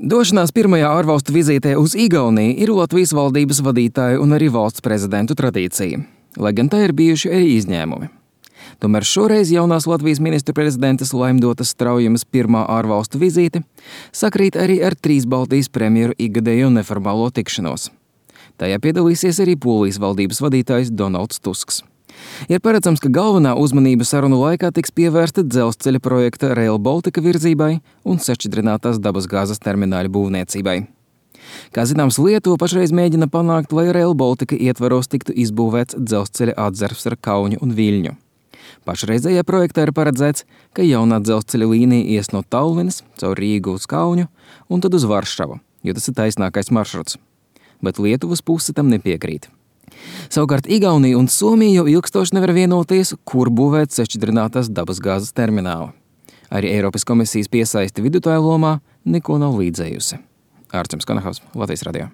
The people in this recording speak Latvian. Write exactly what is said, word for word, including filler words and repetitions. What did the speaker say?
Došanās pirmajā ārvalstu vizītē uz Igauniju ir Latvijas valdības vadītāju un arī valsts prezidentu tradīcija, lai gan tā ir bijuši arī izņēmumi. Tomēr šoreiz jaunās Latvijas ministru prezidentes Laimdotas Straujamas pirmā ārvalstu vizīte sakrīt arī ar trīs Baltijas premjeru ikgadējo neformālo tikšanos. Tajā piedalīsies arī Polijas valdības vadītājs Donalds Tusks. Ir paredzams, ka galvenā uzmanība sarunu laikā tiks pievērsta dzelzceļa projekta Rail Baltica virzībai un sašķidrinātās dabasgāzes termināļa būvniecībai. Kā zināms, Lietuva pašreiz mēģina panākt, lai Rail Baltica ietvaros tiktu izbūvēts dzelzceļa atzarvs ar Kaunu un Viļņu. Pašreizējā projektā ir paredzēts, ka jaunā dzelzceļa līnija ies no Tallinas caur Rīgu uz Kaunu un tad uz Varšavu, jo tas ir taisnākais maršruts. Bet Lietuvas puse tam nepiekrīt. Savukārt Igaunija un Somija jau ilgstoši nevar vienoties, kur būvēt sašķidrinātās dabasgāzes terminālu. Arī Eiropas komisijas piesaisti vidutāju lomā neko nav līdzējusi. Ārčuns Konahaus, Latvijas radio.